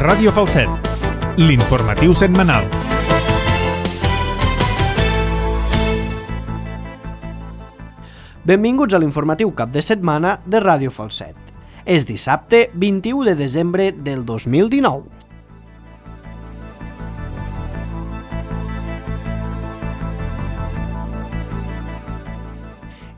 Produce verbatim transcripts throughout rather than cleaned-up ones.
Ràdio Falset, l'informatiu setmanal. Benvinguts a l'informatiu cap de setmana de Ràdio Falset. És dissabte vint-i-u de desembre del dos mil dinou.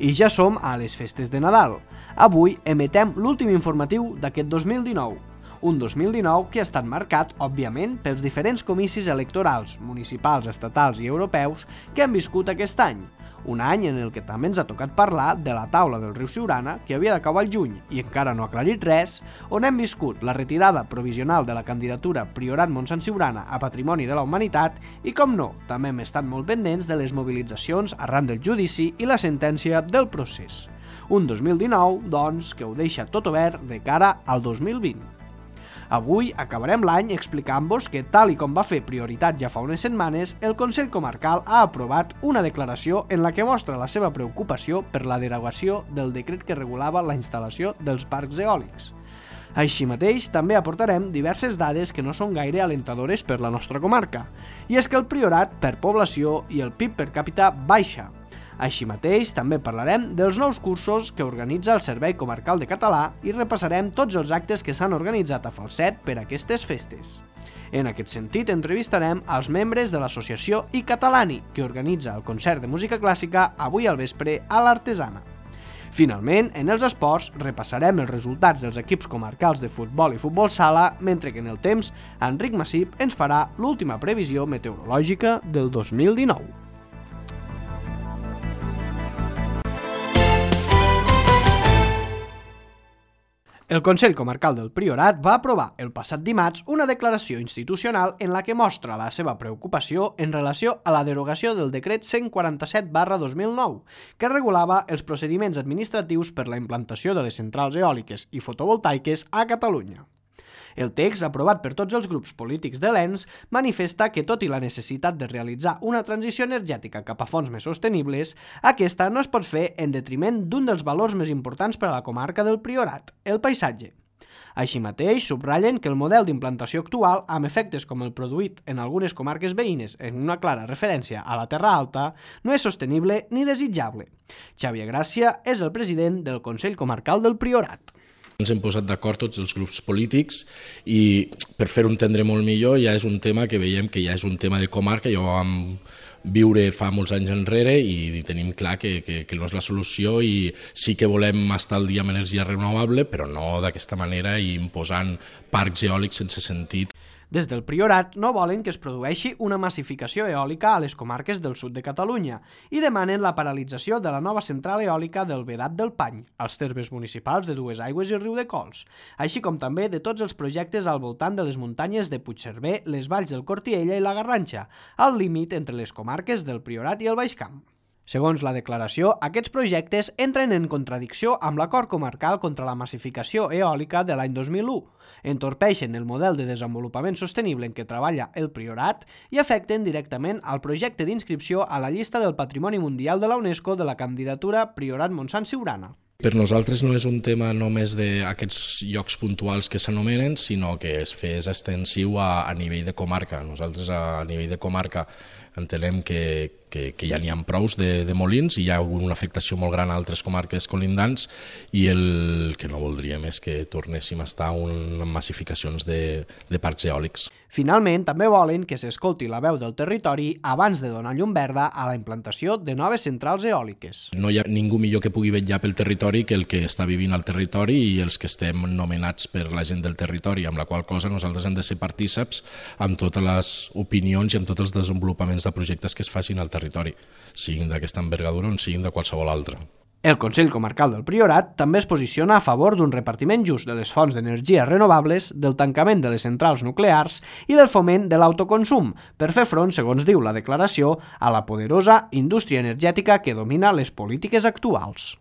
I ja som a les festes de Nadal. Avui emetem l'últim informatiu d'aquest dos mil dinou. Un dos mil dinou que ha estat marcat, òbviament, pels diferents comicis electorals, municipals, estatals i europeus que han viscut aquest any. Un any en el que també ens ha tocat parlar de la taula del riu Siurana, que havia d'acabar al juny i encara no ha aclarit res, on hem viscut la retirada provisional de la candidatura Priorat Montsant Siurana a Patrimoni de la Humanitat i, com no, també hem estat molt pendents de les mobilitzacions arran del judici i la sentència del procés. Un dos mil dinou, doncs, que ho deixa tot obert de cara al dos mil vint. Avui acabarem l'any explicant-vos que, tal i com va fer prioritat ja fa unes setmanes, el Consell Comarcal ha aprovat una declaració en la que mostra la seva preocupació per la derogació del decret que regulava la instal·lació dels parcs eòlics. Així mateix, també aportarem diverses dades que no són gaire alentadores per la nostra comarca, i és que el Priorat per població i el P I B per càpita baixa. Així mateix, també parlarem dels nous cursos que organitza el Servei Comarcal de Català i repassarem tots els actes que s'han organitzat a Falset per aquestes festes. En aquest sentit, entrevistarem als membres de l'associació I Catalani, que organitza el concert de música clàssica avui al vespre a l'Artesana. Finalment, en els esports, repassarem els resultats dels equips comarcals de futbol i futbol sala, mentre que en el temps, Enric Massip ens farà l'última previsió meteorològica del dos mil dinou. El Consell Comarcal del Priorat va aprovar el passat dimarts una declaració institucional en la que mostra la seva preocupació en relació a la derogació del decret cent quaranta-set barra dos mil nou, que regulava els procediments administratius per la implantació de les centrals eòliques i fotovoltaiques a Catalunya. El text, aprovat per tots els grups polítics de l'E N S, manifesta que, tot i la necessitat de realitzar una transició energètica cap a fonts més sostenibles, aquesta no es pot fer en detriment d'un dels valors més importants per a la comarca del Priorat, el paisatge. Així mateix, subratllen que el model d'implantació actual, amb efectes com el produït en algunes comarques veïnes en una clara referència a la Terra Alta, no és sostenible ni desitjable. Xavier Gràcia és el president del Consell Comarcal del Priorat. Ens hem posat d'acord tots els grups polítics i, per fer-ho entendre molt millor, ja és un tema que veiem que ja és un tema de comarca, ja ho vam viure fa molts anys enrere i tenim clar que, que, que no és la solució i sí que volem estar al dia amb energia renovable, però no d'aquesta manera i imposant parcs eòlics sense sentit. Des del Priorat no volen que es produeixi una massificació eòlica a les comarques del sud de Catalunya i demanen la paralització de la nova central eòlica del Vedat del Pany, als termes municipals de Duesaigües i Riudecols, així com també de tots els projectes al voltant de les muntanyes de Puigcerver, les valls del Cortiella i la Garrantxa, al límit entre les comarques del Priorat i el Baix Camp. Segons la declaració, aquests projectes entren en contradicció amb l'acord comarcal contra la massificació eòlica de l'any dos mil u, entorpeixen el model de desenvolupament sostenible en què treballa el Priorat i afecten directament al projecte d'inscripció a la llista del Patrimoni Mundial de la UNESCO de la candidatura Priorat Montsant Siurana. Per nosaltres no és un tema només d'aquests llocs puntuals que s'anomenen, sinó que es fes extensiu a, a nivell de comarca. Nosaltres a nivell de comarca entenem que, que, que ja n'hi ha prous de, de molins i hi ha una afectació molt gran a altres comarques colindants i el que no voldríem és que tornéssim a estar en massificacions de, de parcs eòlics. Finalment, també volen que s'escolti la veu del territori abans de donar llum verda a la implantació de noves centrals eòliques. No hi ha ningú millor que pugui vetllar pel territori que el que està vivint al territori i els que estem nomenats per la gent del territori, amb la qual cosa nosaltres hem de ser partíceps amb totes les opinions i amb tots els desenvolupaments de projectes que es facin al territori, siguin d'aquesta envergadura o siguin de qualsevol altra. El Consell Comarcal del Priorat també es posiciona a favor d'un repartiment just de les fonts d'energia renovables, del tancament de les centrals nuclears i del foment de l'autoconsum, per fer front, segons diu la declaració, a la poderosa indústria energètica que domina les polítiques actuals.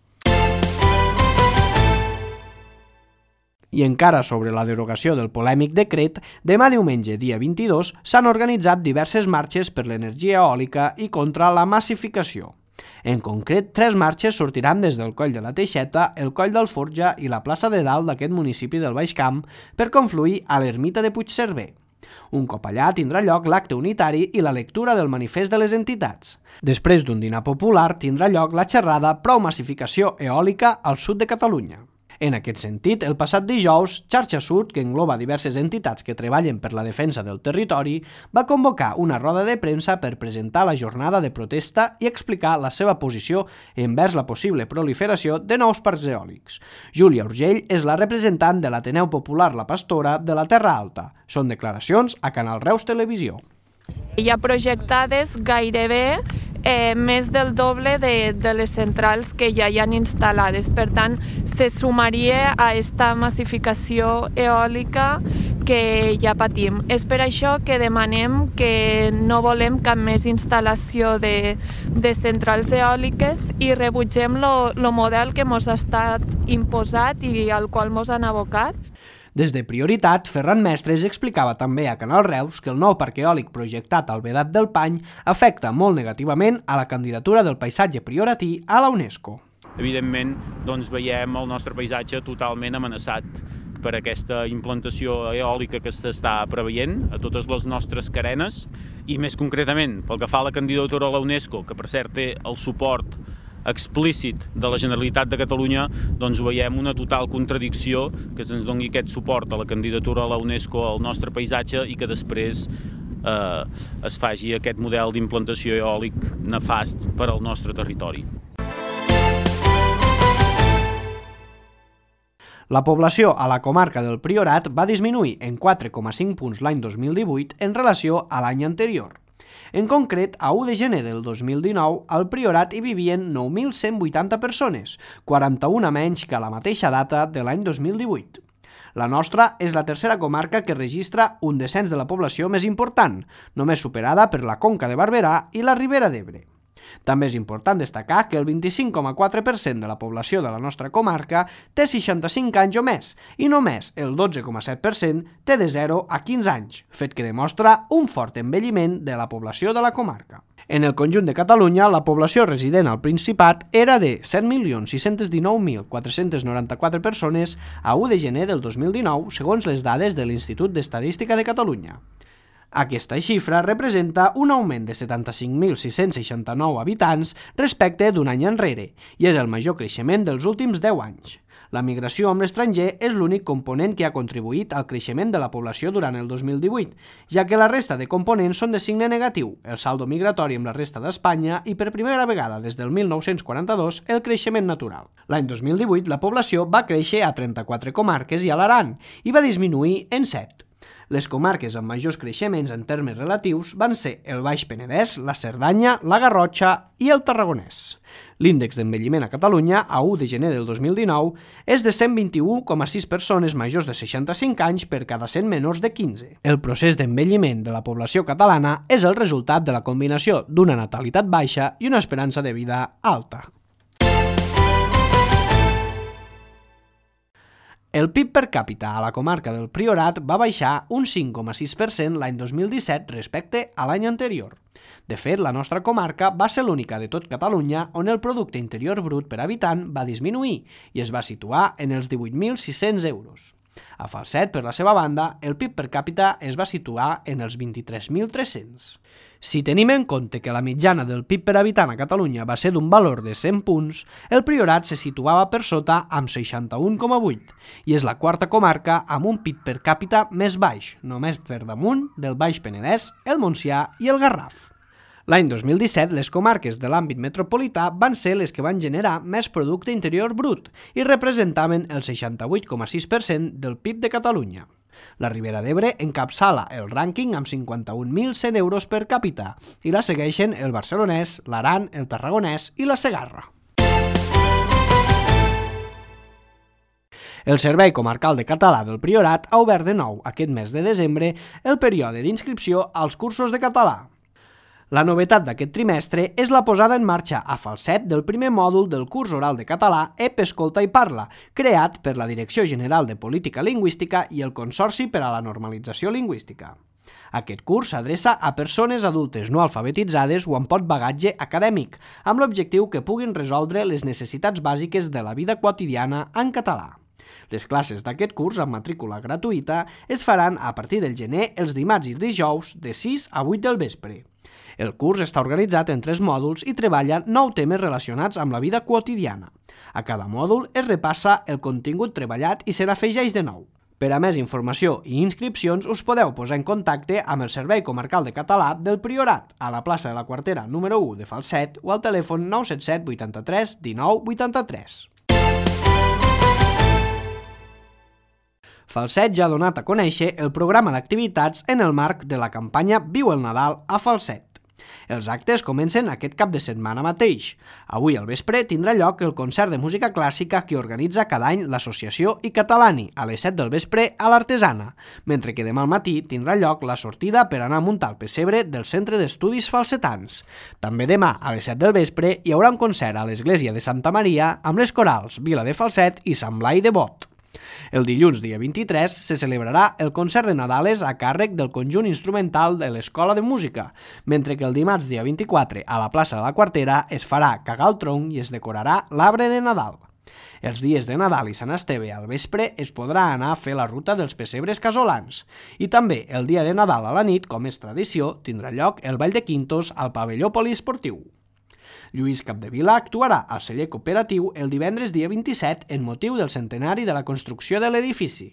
I encara sobre la derogació del polèmic decret, demà diumenge, dia vint-i-dos, s'han organitzat diverses marxes per l'energia eòlica i contra la massificació. En concret, tres marxes sortiran des del Coll de la Teixeta, el Coll del Forja i la plaça de Dalt d'aquest municipi del Baix Camp per confluir a l'ermita de Puigcerver. Un cop allà tindrà lloc l'acte unitari i la lectura del manifest de les entitats. Després d'un dinar popular tindrà lloc la xerrada Prou massificació eòlica al sud de Catalunya. En aquest sentit, el passat dijous, Xarxa Sud, que engloba diverses entitats que treballen per la defensa del territori, va convocar una roda de premsa per presentar la jornada de protesta i explicar la seva posició envers la possible proliferació de nous parcs eòlics. Júlia Urgell és la representant de l'Ateneu Popular La Pastora de la Terra Alta. Són declaracions a Canal Reus Televisió. Hi ha projectades gairebé eh, més del doble de, de les centrals que ja hi han instal·lades. Per tant, se sumaria a aquesta massificació eòlica que ja patim. És per això que demanem que no volem cap més instal·lació de, de centrals eòliques i rebutgem el model que ens ha estat imposat i al qual ens han abocat. Des de Prioritat, Ferran Mestres explicava també a Canal Reus que el nou parc eòlic projectat al Vedat del Pany afecta molt negativament a la candidatura del paisatge prioratí a la UNESCO. Evidentment, doncs, veiem el nostre paisatge totalment amenaçat per aquesta implantació eòlica que s'està preveient a totes les nostres carenes i més concretament pel que fa a la candidatura a la UNESCO, que per cert té el suport explícit de la Generalitat de Catalunya, doncs veiem una total contradicció que se'ns doni aquest suport a la candidatura a la UNESCO al nostre paisatge i que després eh, es faci aquest model d'implantació eòlic nefast per al nostre territori. La població a la comarca del Priorat va disminuir en quatre coma cinc punts l'any dos mil divuit en relació a l'any anterior. En concret, a u de gener del dos mil dinou, al Priorat hi vivien nou mil cent vuitanta persones, quaranta-una menys que a la mateixa data de l'any dos mil divuit. La nostra és la tercera comarca que registra un descens de la població més important, només superada per la Conca de Barberà i la Ribera d'Ebre. També és important destacar que el vint-i-cinc coma quatre per cent de la població de la nostra comarca té seixanta-cinc anys o més i només el dotze coma set per cent té de zero a quinze anys, fet que demostra un fort envelliment de la població de la comarca. En el conjunt de Catalunya, la població resident al Principat era de set milions sis-cents dinou mil quatre-cents noranta-quatre persones a u de gener del dos mil dinou, segons les dades de l'Institut d'Estadística de Catalunya. Aquesta xifra representa un augment de setanta-cinc mil sis-cents seixanta-nou habitants respecte d'un any enrere i és el major creixement dels últims deu anys. La migració amb l'estranger és l'únic component que ha contribuït al creixement de la població durant el dos mil divuit, ja que la resta de components són de signe negatiu, el saldo migratori amb la resta d'Espanya i per primera vegada des del mil nou-cents quaranta-dos el creixement natural. L'any dos mil divuit la població va créixer a trenta-quatre comarques i a l'Aran i va disminuir en set. Les comarques amb majors creixements en termes relatius van ser el Baix Penedès, la Cerdanya, la Garrotxa i el Tarragonès. L'índex d'envelliment a Catalunya, a u de gener del dos mil dinou, és de cent vint-i-u coma sis persones majors de seixanta-cinc anys per cada cent menors de quinze. El procés d'envelliment de la població catalana és el resultat de la combinació d'una natalitat baixa i una esperança de vida alta. El P I B per càpita a la comarca del Priorat va baixar un cinc coma sis per cent l'any dos mil disset respecte a l'any anterior. De fet, la nostra comarca va ser l'única de tot Catalunya on el producte interior brut per habitant va disminuir i es va situar en els divuit mil sis-cents euros. A Falset, per la seva banda, el P I B per càpita es va situar en els vint-i-tres mil tres-cents. Si tenim en compte que la mitjana del P I B per habitant a Catalunya va ser d'un valor de cent punts, el Priorat se situava per sota amb seixanta-un coma vuit i és la quarta comarca amb un P I B per càpita més baix, només per damunt del Baix Penedès, el Montsià i el Garraf. L'any dos mil disset, les comarques de l'àmbit metropolità van ser les que van generar més producte interior brut i representaven el seixanta-vuit coma sis per cent del P I B de Catalunya. La Ribera d'Ebre encapçala el rànquing amb cinquanta-un mil cent euros per càpita i la segueixen el Barcelonès, l'Aran, el Tarragonès i la Segarra. El Servei Comarcal de Català del Priorat ha obert de nou aquest mes de desembre el període d'inscripció als cursos de català. La novetat d'aquest trimestre és la posada en marxa a Falset del primer mòdul del curs oral de català E P Escolta i Parla, creat per la Direcció General de Política Lingüística i el Consorci per a la Normalització Lingüística. Aquest curs s'adreça a persones adultes no alfabetitzades o amb poc bagatge acadèmic, amb l'objectiu que puguin resoldre les necessitats bàsiques de la vida quotidiana en català. Les classes d'aquest curs amb matrícula gratuïta es faran a partir del gener els dimarts i dijous de sis a vuit del vespre. El curs està organitzat en tres mòduls i treballa nou temes relacionats amb la vida quotidiana. A cada mòdul es repassa el contingut treballat i se n'afegeix de nou. Per a més informació i inscripcions us podeu posar en contacte amb el Servei Comarcal de Català del Priorat, a la plaça de la Quartera número u de Falset o al telèfon nou set set vuitanta-tres dinou vuitanta-tres. Falset ja ha donat a conèixer el programa d'activitats en el marc de la campanya Viu el Nadal a Falset. Els actes comencen aquest cap de setmana mateix. Avui al vespre tindrà lloc el concert de música clàssica que organitza cada any l'Associació i Catalani a les set del vespre a l'Artesana, mentre que demà al matí tindrà lloc la sortida per anar a muntar el pessebre del Centre d'Estudis Falsetans. També demà a les set del vespre hi haurà un concert a l'Església de Santa Maria amb les corals Vila de Falset i Sant Blai de Bot. El dilluns, dia vint-i-tres, se celebrarà el concert de Nadales a càrrec del conjunt instrumental de l'Escola de Música, mentre que el dimarts, dia vint-i-quatre, a la plaça de la Quartera es farà cagar el tronc i es decorarà l'arbre de Nadal. Els dies de Nadal i Sant Esteve al vespre es podrà anar a fer la ruta dels pessebres casolans. I també el dia de Nadal a la nit, com és tradició, tindrà lloc el Ball de Quintos al pavelló poliesportiu. Lluís Capdevila actuarà al celler cooperatiu el divendres dia vint-i-set en motiu del centenari de la construcció de l'edifici.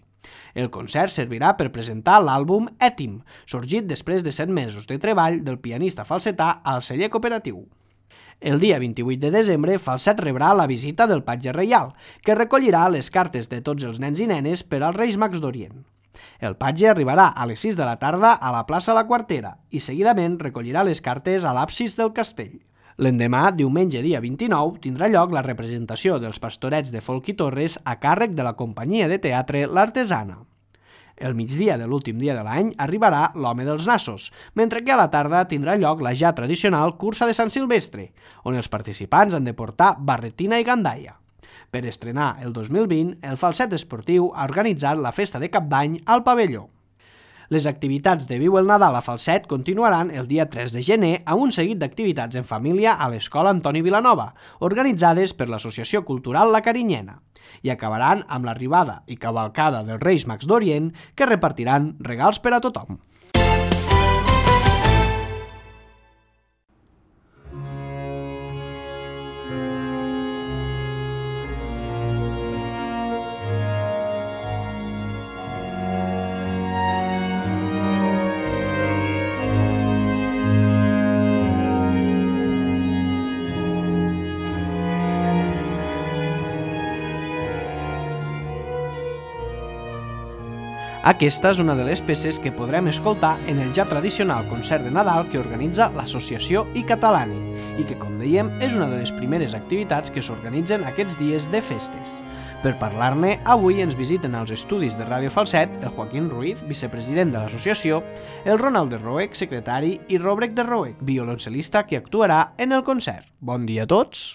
El concert servirà per presentar l'àlbum Ètim, sorgit després de set mesos de treball del pianista falsetà al celler cooperatiu. El dia vint-i-vuit de desembre, Falset rebrà la visita del Patge Reial, que recollirà les cartes de tots els nens i nenes per als Reis Mags d'Orient. El patge arribarà a les sis de la tarda a la plaça La Quartera i seguidament recollirà les cartes a l'absis del castell. L'endemà, diumenge dia vint-i-nou, tindrà lloc la representació dels pastorets de Folk i Torres a càrrec de la companyia de teatre L'Artesana. El migdia de l'últim dia de l'any arribarà l'Home dels Nassos, mentre que a la tarda tindrà lloc la ja tradicional cursa de Sant Silvestre, on els participants han de portar barretina i gandaia. Per estrenar el dos mil vint, el Falset Esportiu ha organitzat la festa de Cap d'Any al pavelló. Les activitats de Viu el Nadal a Falset continuaran el dia tres de gener amb un seguit d'activitats en família a l'Escola Antoni Vilanova, organitzades per l'Associació Cultural La Carinyena, i acabaran amb l'arribada i cavalcada dels Reis Mags d'Orient, que repartiran regals per a tothom. Aquesta és una de les peces que podrem escoltar en el ja tradicional concert de Nadal que organitza l'Associació i Catalani i que, com dèiem, és una de les primeres activitats que s'organitzen aquests dies de festes. Per parlar-ne, avui ens visiten als estudis de Ràdio Falset el Joaquín Ruiz, vicepresident de l'associació, el Ronald de Roec, secretari, i Robrek de Roec, violoncel·lista, que actuarà en el concert. Bon dia a tots.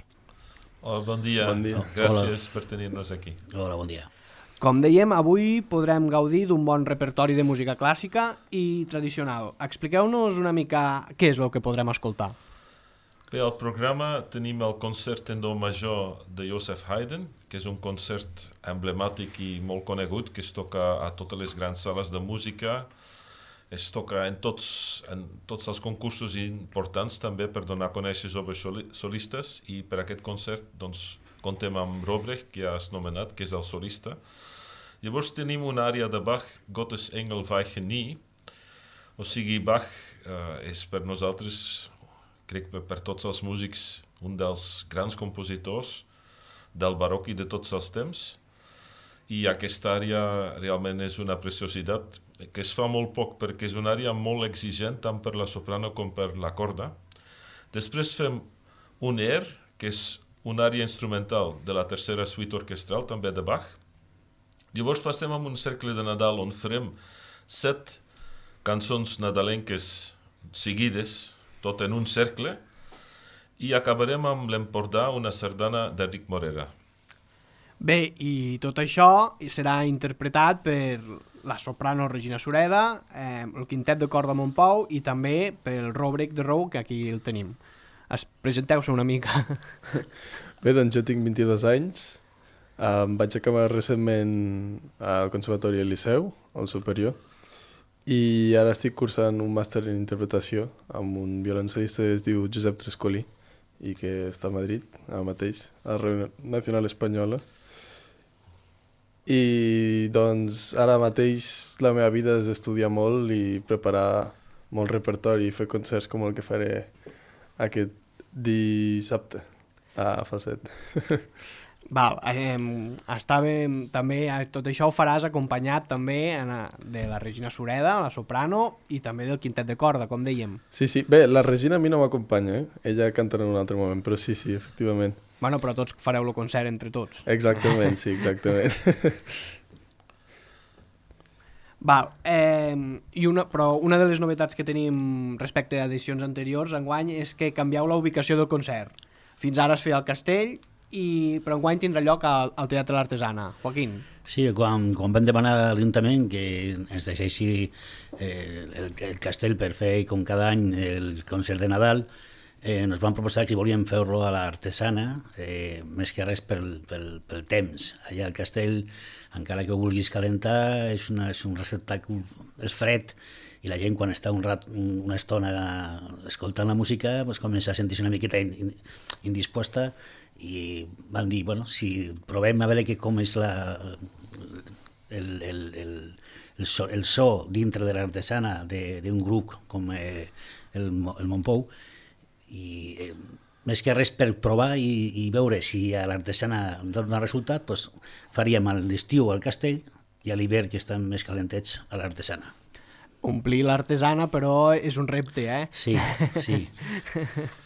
Hola, bon dia. Bon dia. Gràcies Hola. per tenir-nos aquí. Hola, bon dia. Com dèiem, avui podrem gaudir d'un bon repertori de música clàssica i tradicional. Expliqueu-nos una mica què és el que podrem escoltar. Bé, al programa tenim el concert en do major de Joseph Haydn, que és un concert emblemàtic i molt conegut, que es toca a totes les grans sales de música, es toca en tots, en tots els concursos importants també per donar a conèixer joves solistes, i per aquest concert doncs, contem amb Robrecht, que ja has nomenat, que és el solista. Llavors tenim una àrea de Bach, Gottes Engel weichen nie, o sigui, Bach eh, és per nosaltres, crec que per tots els músics, un dels grans compositors del baroc i de tots els temps, i aquesta àrea realment és una preciositat que es fa molt poc perquè és una àrea molt exigent tant per la soprano com per la corda. Després fem un air, que és una àrea instrumental de la tercera suite orquestral, també de Bach. Llavors passem a un cercle de Nadal on farem set cançons nadalenques seguides, tot en un cercle, i acabarem amb l'Empordà, una sardana d'Enric Morera. Bé, i tot això serà interpretat per la soprano Regina Sureda, eh, el quintet de corda Montpou i també pel Robrek de Rou, que aquí el tenim. Es presenteu-se una mica. Bé, doncs jo tinc vint-i-dos anys, um, vaig acabar recentment al Conservatori del Liceu, al superior, i ara estic cursant un màster en interpretació amb un violoncel·lista que es diu Josep Trescolí i que està a Madrid, ara mateix, a la Radio Nacional Espanyola. I doncs ara mateix la meva vida és estudiar molt i preparar molt repertori i fer concerts com el que faré aquest dissabte a Falset. Val, eh, estava, també tot això ho faràs acompanyat també en, de la Regina Sureda, la soprano, i també del quintet de corda, com dèiem. Sí, sí. Bé, la Regina a mi no m'acompanya, eh? Ella cantarà en un altre moment, però sí, sí, efectivament. Bueno, però tots fareu el concert entre tots. Exactament, sí, exactament. Val, eh, i una, però una de les novetats que tenim respecte a edicions anteriors enguany és que canvieu la ubicació del concert. Fins ara es feia al Castell, i però enguany tindrà lloc al, al Teatre L'Artesana. Joaquín. Sí, quan, quan vam demanar a l'Ajuntament que ens deixessi eh, el, el castell per fer com cada any el concert de Nadal, eh, ens van proposar que volíem fer-lo a l'Artesana, eh, més que res pel, pel, pel temps. Allà al castell, encara que ho vulguis calentar, és, una, és un receptacle, és fred, i la gent quan està un rat, una estona escoltant la música pues, comença a sentir-se una miqueta indisposta, i van dir, bueno, si provem a veure que com és la, el, el, el, el, so, el so dintre de l'Artesana d'un grup com eh, el, el Montpou, i eh, més que res per provar i, i veure si a l'Artesana dona resultat, pues, faríem l'estiu al Castell i a l'hivern, que estan més calentets, a l'Artesana. Omplir l'Artesana, però és un repte, eh? Sí, sí.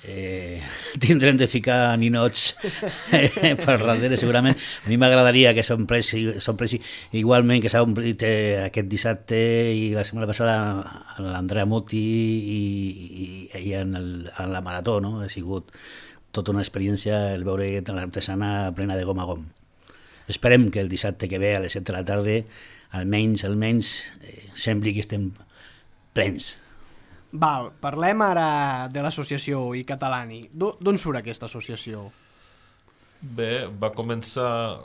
Eh, tindrem de ficar ninots eh, per darrere, segurament. A mi m'agradaria que s'omplessi igualment que s'ha omplit eh, aquest dissabte i la setmana passada l'Andrea Motti i, i, i en, el, en la marató, no? Ha sigut tota una experiència el veure l'Artesana plena de gom a gom. Esperem que el dissabte que ve a les set de la tarda almenys, almenys, eh, sembli que estem plens. Val, parlem ara de l'associació i Catalani. D'on surt aquesta associació? Bé, va començar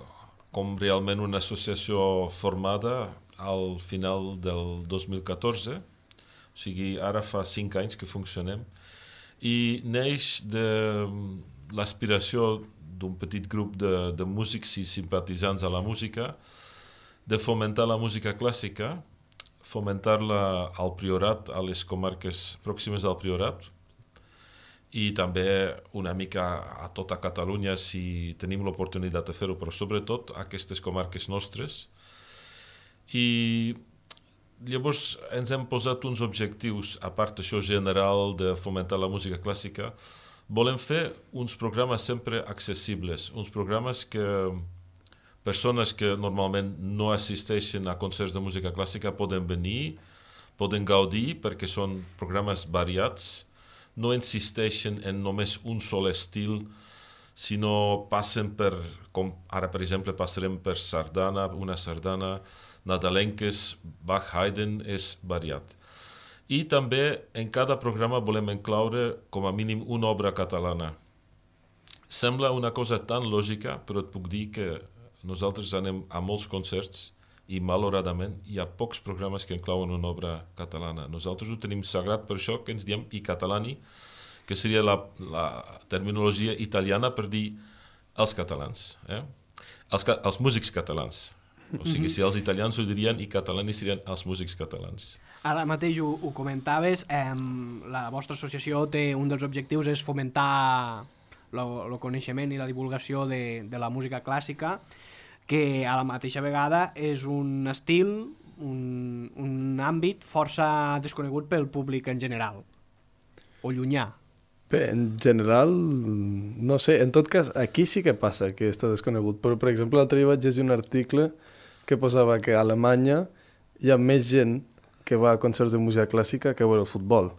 com realment una associació formada al final del dos mil catorze, o sigui, ara fa cinc anys que funcionem, i neix de l'aspiració d'un petit grup de, de músics i simpatitzants a la música, de fomentar la música clàssica, fomentar-la al Priorat, a les comarques pròximes al Priorat, i també una mica a tota Catalunya si tenim l'oportunitat de fer-ho, però sobretot a aquestes comarques nostres. I llavors ens hem posat uns objectius, a part d'això general de fomentar la música clàssica, volem fer uns programes sempre accessibles, uns programes que persones que normalment no assisteixen a concerts de música clàssica poden venir, poden gaudir perquè són programes variats, no insisteixen en només un sol estil, sinó passen per, com ara per exemple passarem per sardana, una sardana, nadalenques, Bach, Haydn, és variat. I també en cada programa volem incloure com a mínim una obra catalana. Sembla una cosa tan lògica, però et puc dir que nosaltres anem a molts concerts i, malauradament, hi ha pocs programes que inclouen una obra catalana. Nosaltres ho tenim sagrat, per això que ens diem i catalani, que seria la, la terminologia italiana per dir els catalans, eh? els, els músics catalans. O sigui, si els italians ho dirien i catalani serien els músics catalans. Ara mateix ho, ho comentaves, eh, la vostra associació té un dels objectius és fomentar el coneixement i la divulgació de, de la música clàssica, que a la mateixa vegada és un estil, un, un àmbit força desconegut pel públic en general, o llunyà. Bé, en general, no sé, en tot cas, aquí sí que passa que està desconegut, però per exemple l'altre dia vaig llegir un article que posava que a Alemanya hi ha més gent que va a concerts de música clàssica que a veure el futbol.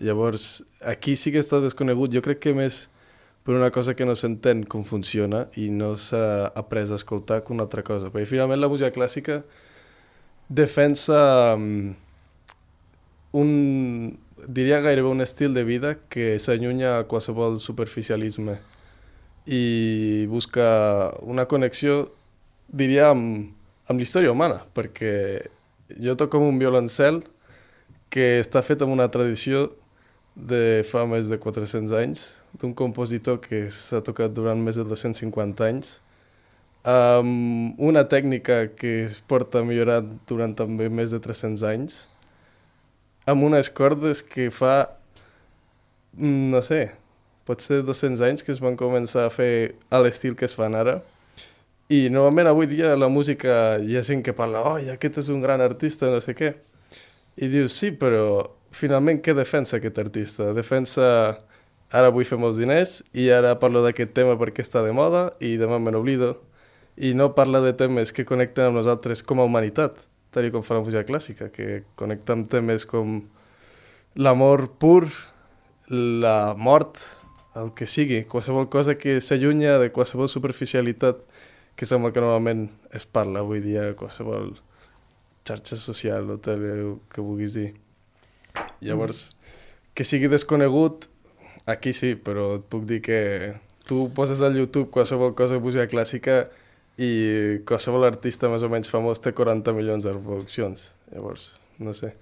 Llavors, aquí sí que està desconegut, jo crec que més per una cosa que no s'entén com funciona i no s'ha après a escoltar que una altra cosa. Perquè finalment la música clàssica defensa um, un, diria gairebé un estil de vida que s'allunya a qualsevol superficialisme i busca una connexió, diria, amb, amb la història humana, perquè jo toco amb un violoncel que està fet amb una tradició de fa més de quatre-cents anys, d'un compositor que s'ha tocat durant més de dos-cents cinquanta anys, amb una tècnica que es porta millorant durant també més de tres-cents anys, amb unes cordes que fa, no sé, potser dos-cents anys que es van començar a fer a l'estil que es fan ara. I normalment avui dia la música hi ha gent que parla, oh, aquest és un gran artista, no sé què. I dius, sí, però finalment què defensa aquest artista? Defensa, ara vull fer molts diners i ara parlo d'aquest tema perquè està de moda i demà me n'oblido. I no parla de temes que connecten amb nosaltres com a humanitat, tal com fa la música clàssica, que connecta amb temes com l'amor pur, la mort, el que sigui, qualsevol cosa que s'allunya de qualsevol superficialitat que sembla que normalment es parla avui dia a qualsevol xarxa social o tal que vulguis dir. Llavors, que sigui desconegut, aquí sí, però et puc dir que tu poses al YouTube qualsevol cosa de música clàssica i qualsevol artista més o menys famós té quaranta milions de reproduccions. Llavors, no sé.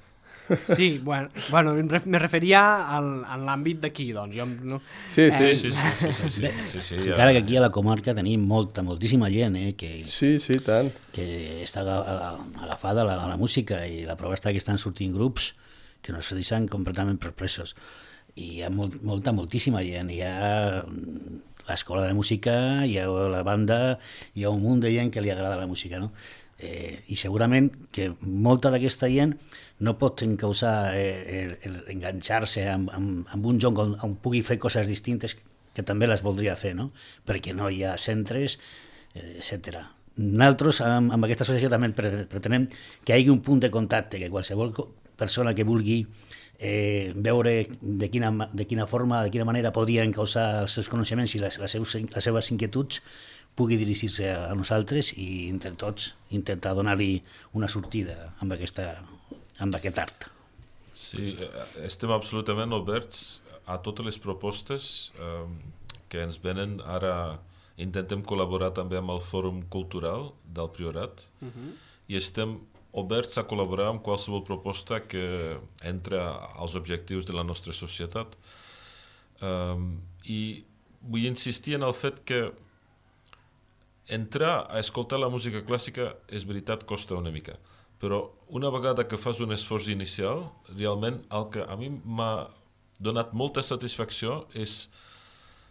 Sí, bueno, bueno me referia al, en l'àmbit d'aquí, doncs. Jo, no? Sí, sí. Eh, sí, sí, sí, sí, sí, sí, sí, ja. Encara que aquí a la comarca tenim molta, moltíssima gent eh, que, sí, sí, tant. que està agafada a la, a la música i la prova està que estan sortint grups que no se deixen completament perplesos. I hi ha molt, molta, moltíssima gent. Hi ha l'escola de música, hi ha la banda, hi ha un munt de gent que li agrada la música, no? Eh, I segurament que molta d'aquesta gent no pot encausar eh, enganxar-se amb, amb, amb un joc on, on pugui fer coses distintes que també les voldria fer, no? Perquè no hi ha centres, eh, etcètera. Nosaltres, amb, amb aquesta associació, també pretenem que hi hagi un punt de contacte, que qualsevol persona que vulgui eh, veure de quina, de quina forma, de quina manera podria encausar els seus coneixements i les, les, seus, les seves inquietuds pugui dirigir-se a nosaltres i entre tots intentar donar-li una sortida amb, aquesta, amb aquest art. Sí, estem absolutament oberts a totes les propostes eh, que ens venen. Ara intentem col·laborar també amb el Fòrum Cultural del Priorat uh-huh. i estem oberts a col·laborar amb qualsevol proposta que entra als objectius de la nostra societat. Um, I vull insistir en el fet que entrar a escoltar la música clàssica, és veritat, costa una mica, però una vegada que fas un esforç inicial, realment el que a mi m'ha donat molta satisfacció és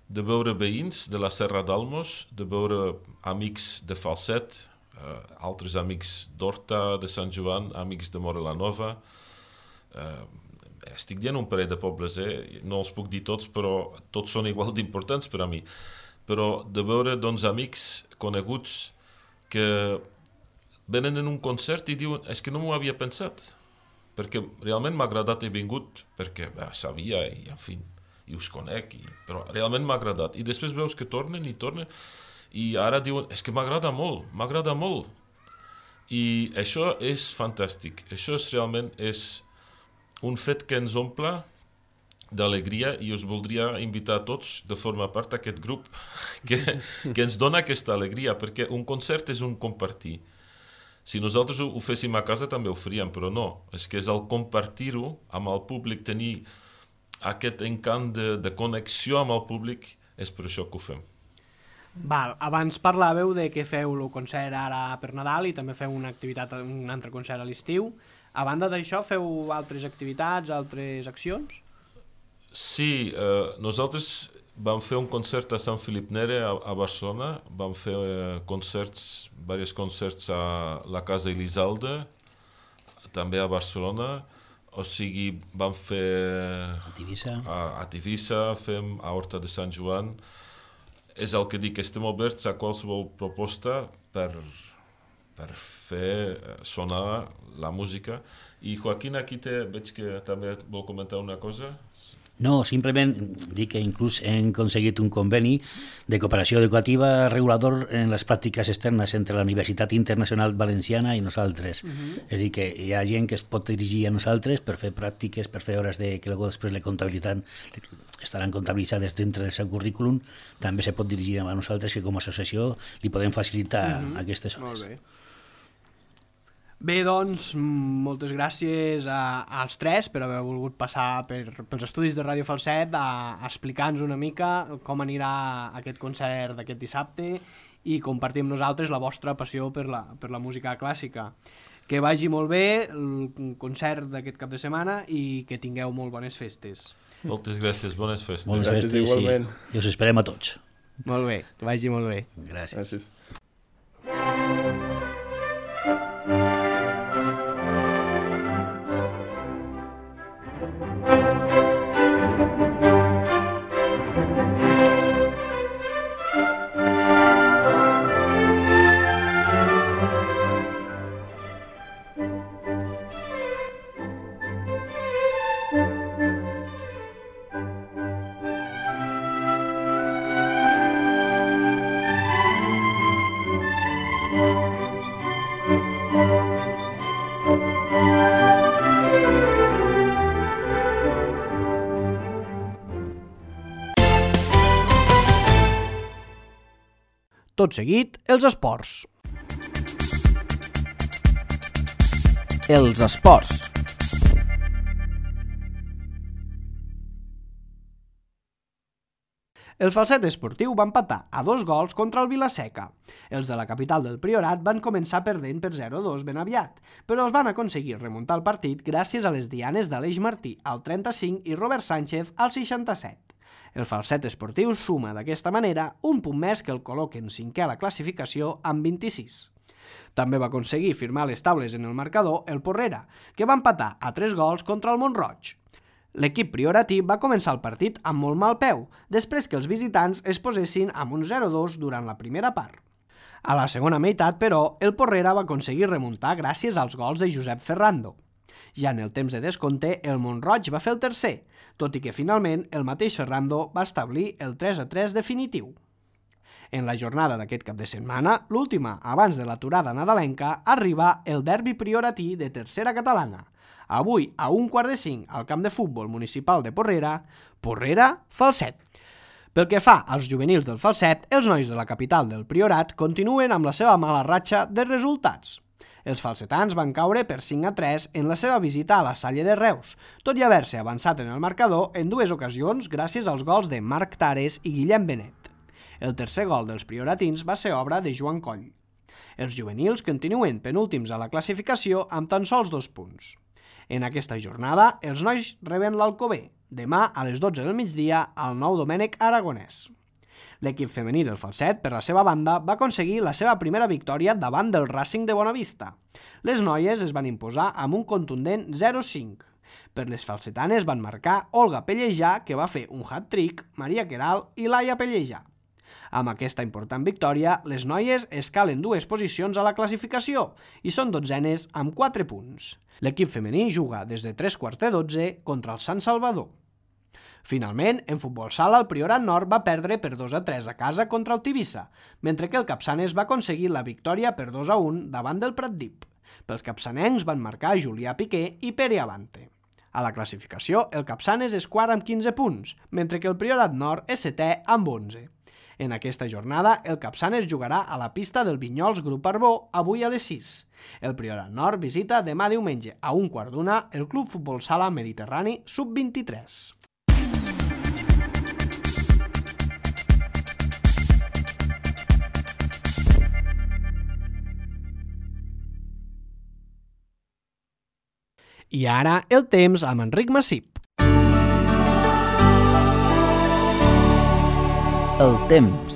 de veure veïns de la Serra d'Almos, de veure amics de Falset, Uh, altres amics d'Horta, de Sant Joan, amics de Móra la Nova. Uh, estic dient un parell de pobles, eh? No els puc dir tots, però tots són igual d'importants per a mi. Però de veure doncs, amics coneguts que venen en un concert i diuen és que no m'ho havia pensat, perquè realment m'ha agradat, he vingut perquè bé, sabia i en fi, i us conec, i... però realment m'ha agradat. I després veus que tornen i tornen i ara diuen, és que m'agrada molt, m'agrada molt. I això és fantàstic. Això és realment és un fet que ens omple d'alegria i us voldria invitar a tots de formar part d'aquest grup que, que ens dona aquesta alegria, perquè un concert és un compartir. Si nosaltres ho, ho féssim a casa també ho faríem, però no. És que és el compartir-ho amb el públic, tenir aquest encant de, de connexió amb el públic, és per això que ho fem. Val, abans parlàveu de que feu el concert ara per Nadal i també feu una activitat, un altre concert a l'estiu. A banda d'això, feu altres activitats, altres accions? Sí, eh, nosaltres vam fer un concert a Sant Felip Nere, a, a Barcelona. Vam fer eh, concerts, diversos concerts a la Casa Elisalde, també a Barcelona. O sigui, vam fer a Tivissa, a, a, Tivissa, fem a Horta de Sant Joan. És el que dic, estem oberts a qualsevol proposta per, per fer sonar la música. I Joaquín, aquí te, veig que també vol comentar una cosa. No, simplement dic que inclús hem aconseguit un conveni de cooperació educativa regulador en les pràctiques externes entre la Universitat Internacional Valenciana i nosaltres. Uh-huh. És a dir, que hi ha gent que es pot dirigir a nosaltres per fer pràctiques, per fer hores de que després la comptabilitat estaran comptabilitzades dintre del seu currículum. També se pot dirigir a nosaltres, que com a associació li podem facilitar uh-huh. aquestes hores. Molt bé. Bé, doncs, moltes gràcies a, als tres per haver volgut passar per, pels estudis de Ràdio Falset a, a explicar-nos una mica com anirà aquest concert d'aquest dissabte i compartir amb nosaltres la vostra passió per la, per la música clàssica. Que vagi molt bé el concert d'aquest cap de setmana i que tingueu molt bones festes. Moltes gràcies, bones festes. Bones gràcies, festes, igualment. Sí. I us esperem a tots. Molt bé, que vagi molt bé. Gràcies. Gràcies. Tot seguit, els esports. Els esports. El Falset Esportiu va empatar a dos gols contra el Vila-seca. Els de la capital del Priorat van començar perdent per zero a dos ben aviat, però es van aconseguir remuntar el partit gràcies a les dianes d'Aleix Martí al trenta-cinc i Robert Sánchez al seixanta-set. El Falset Esportiu suma d'aquesta manera un punt més que el col·loquen cinquè a la classificació amb vint-i-sis. També va aconseguir firmar les taules en el marcador el Porrera, que va empatar a tres gols contra el Mont-roig. L'equip prioratí va començar el partit amb molt mal peu, després que els visitants es posessin amb un zero a dos durant la primera part. A la segona meitat, però, el Porrera va aconseguir remuntar gràcies als gols de Josep Ferrando. Ja en el temps de descompte, el Mont-roig va fer el tercer, tot i que finalment el mateix Ferrando va establir el tres a tres definitiu. En la jornada d'aquest cap de setmana, l'última abans de l'aturada nadalenca, arriba el derbi prioratí de tercera catalana. Avui, a un quart de cinc, al camp de futbol municipal de Porrera, Porrera-Falset. Pel que fa als juvenils del Falset, els nois de la capital del Priorat continuen amb la seva mala ratxa de resultats. Els falsetans van caure per cinc a tres en la seva visita a la Salle de Reus, tot i haver-se avançat en el marcador en dues ocasions gràcies als gols de Marc Tares i Guillem Benet. El tercer gol dels prioratins va ser obra de Joan Coll. Els juvenils continuen penúltims a la classificació amb tan sols dos punts. En aquesta jornada, els nois reben l'Alcover, demà a les dotze del migdia al Nou Domènec Aragonès. L'equip femení del Falset, per la seva banda, va aconseguir la seva primera victòria davant del Racing de Bonavista. Les noies es van imposar amb un contundent zero a cinc. Per les falsetanes van marcar Olga Pellejà, que va fer un hat-trick, Maria Queral i Laia Pellejà. Amb aquesta important victòria, les noies escalen dues posicions a la classificació i són dotzenes amb quatre punts. L'equip femení juga des de tres quarts de dotze contra el Sant Salvador. Finalment, en futbol sala, el Priorat Nord va perdre per dos a tres a casa contra el Tivissa, mentre que el Capçanes va aconseguir la victòria per dos a un davant del Pratdip. Pels capçanencs van marcar Julià Piqué i Pere Avante. A la classificació, el Capçanes és quart amb quinze punts, mentre que el Priorat Nord és setè amb onze. En aquesta jornada, el Capçanes jugarà a la pista del Vinyols Grup Arbó avui a les sis. El Priorat Nord visita demà diumenge a un quart d'una el Club Futbol Sala Mediterrani sub vint-i-tres. I ara el temps amb Enric Massip. El temps.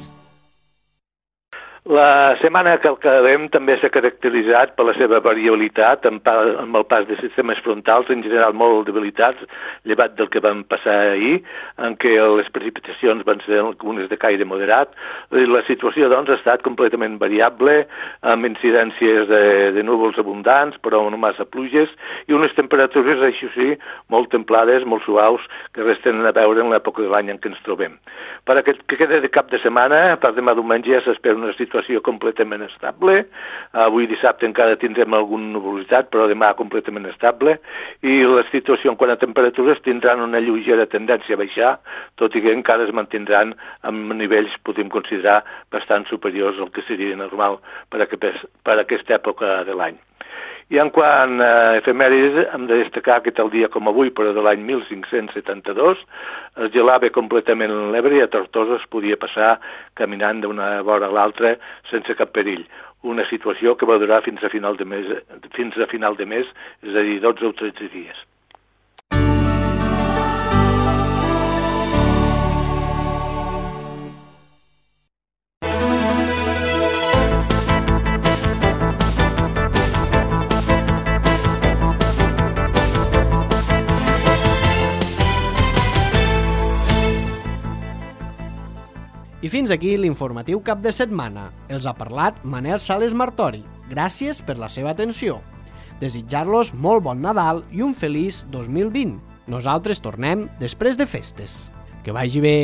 La setmana que acabem també s'ha caracteritzat per la seva variabilitat amb, amb el pas de sistemes frontals, en general molt debilitats, llevat del que van passar ahir, en què les precipitacions van ser algunes de caire moderat. La situació, doncs, ha estat completament variable, amb incidències de, de núvols abundants, però no massa pluges, i unes temperatures, això sí, molt templades, molt suaus, que res tenen a veure en l'època de l'any en què ens trobem. Per aquest que queda de cap de setmana, per demà diumenge ja s'espera una situació situació completament estable. Avui dissabte encara tindrem alguna nuvolositat, però demà completament estable. I la situació en quant a temperatures tindran una lleugera tendència a baixar, tot i que encara es mantindran amb nivells, podem considerar, bastant superiors al que seria normal per a, aquest, per a aquesta època de l'any. I en quant a efemèrides, hem de destacar que tal dia com avui, però de l'any mil cinc-cents setanta-dos, es gelava completament l'Ebre i a Tortosa es podia passar caminant d'una vora a l'altra sense cap perill. Una situació que va durar fins a final de mes, fins a final de mes, és a dir, dotze o tretze dies. I fins aquí l'informatiu cap de setmana. Els ha parlat Manel Sales Martori. Gràcies per la seva atenció. Desitjar-los molt bon Nadal i un feliç dos mil vint. Nosaltres tornem després de festes. Que vagi bé!